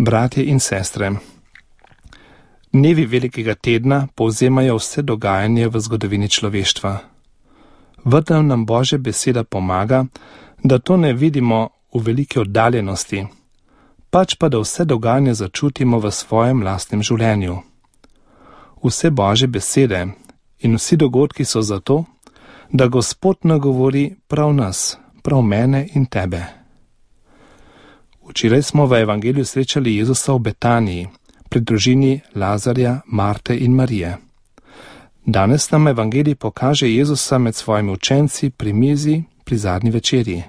Bratje in sestre, dnevi velikega tedna povzemajo vse dogajanje v zgodovini človeštva. Vendar nam Božja beseda pomaga, da to ne vidimo v veliki oddaljenosti, pač pa da vse dogajanje začutimo v svojem lastnem življenju. Vse Božje besede in vsi dogodki so zato, da Gospod nagovori prav nas, prav mene in tebe. Včeraj smo v evangeliju srečali Jezusa v Betaniji, pri družini Lazarja, Marte in Marije. Danes nam evangelij pokaže Jezusa med svojimi učenci pri mizi pri zadnji večerji.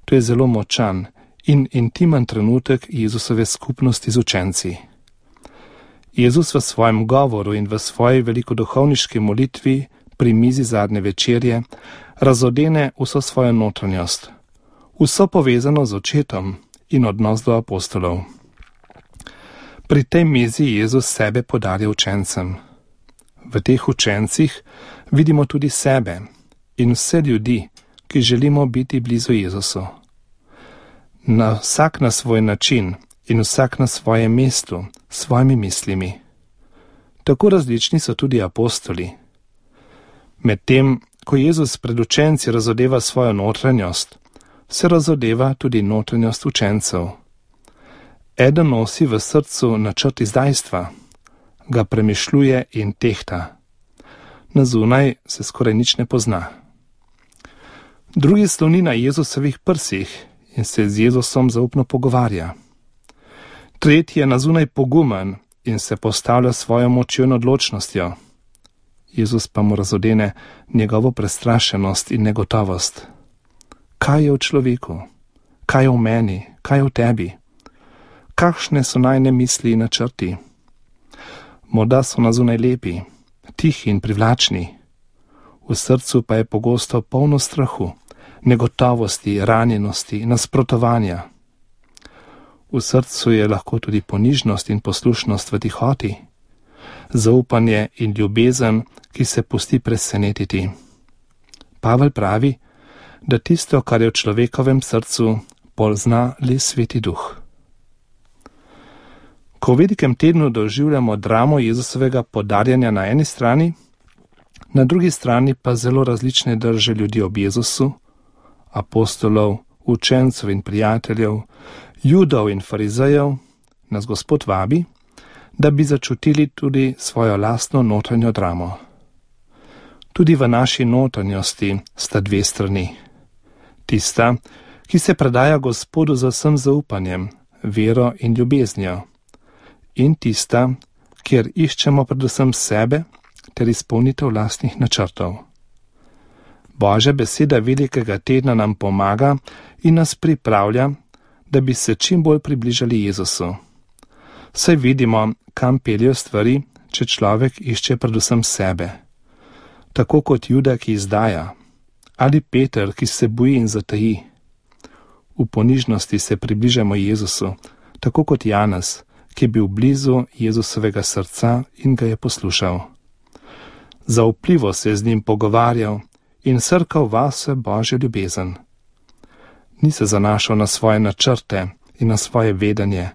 To je zelo močan in intimen trenutek Jezusove skupnosti z učenci. Jezus v svojem govoru in v svoji velikoduhovniški molitvi pri mizi zadnje večerje razodene vso svojo notranjost, vso povezano z očetom in odnos do apostolov. Pri tej mizi Jezus sebe podarja učencem. V teh učencih vidimo tudi sebe in vse ljudi, ki želimo biti blizu Jezusu. Vsak na svoj način in vsak na svojem mestu, s svojimi mislimi. Tako različni so tudi apostoli. Medtem, ko Jezus pred učenci razodeva svojo notranjost, se razodeva tudi notranjost učencev. Eden nosi v srcu načrt izdajstva, ga premišljuje in tehta. Na zunaj se skoraj nič ne pozna. Drugi sloni na Jezusovih prsih in se z Jezusom zaupno pogovarja. Tretji je na zunaj pogumen in se postavlja svojo močjo in odločnostjo. Jezus pa mu razodene njegovo prestrašenost in negotovost. Kaj je v človeku? Kaj je v meni? Kaj je v tebi? Kakšne so najne misli in načrti? Morda so na zunaj lepi, tihi in privlačni. V srcu pa je pogosto polno strahu, negotovosti, ranjenosti, nasprotovanja. V srcu je lahko tudi ponižnost in poslušnost v tihoti, zaupanje in ljubezen, ki se pusti presenetiti. Pavel pravi, da tisto, kar je v človekovem srcu, pozna le Sveti Duh. Ko v velikem tednu doživljamo dramo Jezusovega podarjanja na eni strani, na drugi strani pa zelo različne drže ljudi ob Jezusu, apostolov, učencev in prijateljev, Judov in farizejev, nas Gospod vabi, da bi začutili tudi svojo lastno notranjo dramo. Tudi v naši notranjosti sta dve strani. Tista, ki se predaja Gospodu z vsem zaupanjem, vero in ljubeznijo, in tista, kjer iščemo predvsem sebe ter izpolnitev lastnih načrtov. Božja beseda velikega tedna nam pomaga in nas pripravlja, da bi se čim bolj približali Jezusu. Saj vidimo, kam peljejo stvari, če človek išče predvsem sebe. Tako kot Juda, ki izdaja, ali Peter, ki se boji in zataji. V ponižnosti se približamo Jezusu, tako kot Janez, ki je bil blizu Jezusovega srca in ga je poslušal. Zaupljivo se je z njim pogovarjal in srkal vase Božjo ljubezen. Ni se zanašal na svoje načrte in na svoje vedenje,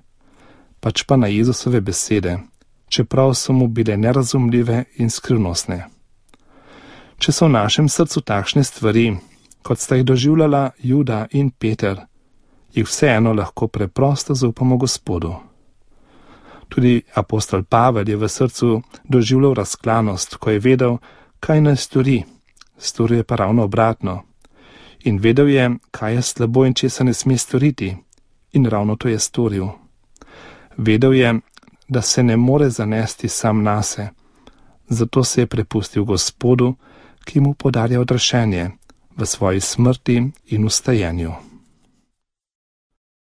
pač pa na Jezusove besede, čeprav so mu bile nerazumljive in skrivnostne. Če so v našem srcu takšne stvari, kot sta jih doživljala Juda in Peter, jih vseeno lahko preprosto zaupamo Gospodu. Tudi apostol Pavel je v srcu doživljal razklanost, ko je vedel, kaj naj stori, storil je pa ravno obratno. In vedel je, kaj je slabo in česa ne sme storiti, in ravno to je storil. Vedel je, da se ne more zanesti sam nase, zato se je prepustil Gospodu, ki mu podarja odrešenje v svoji smrti in vstajenju.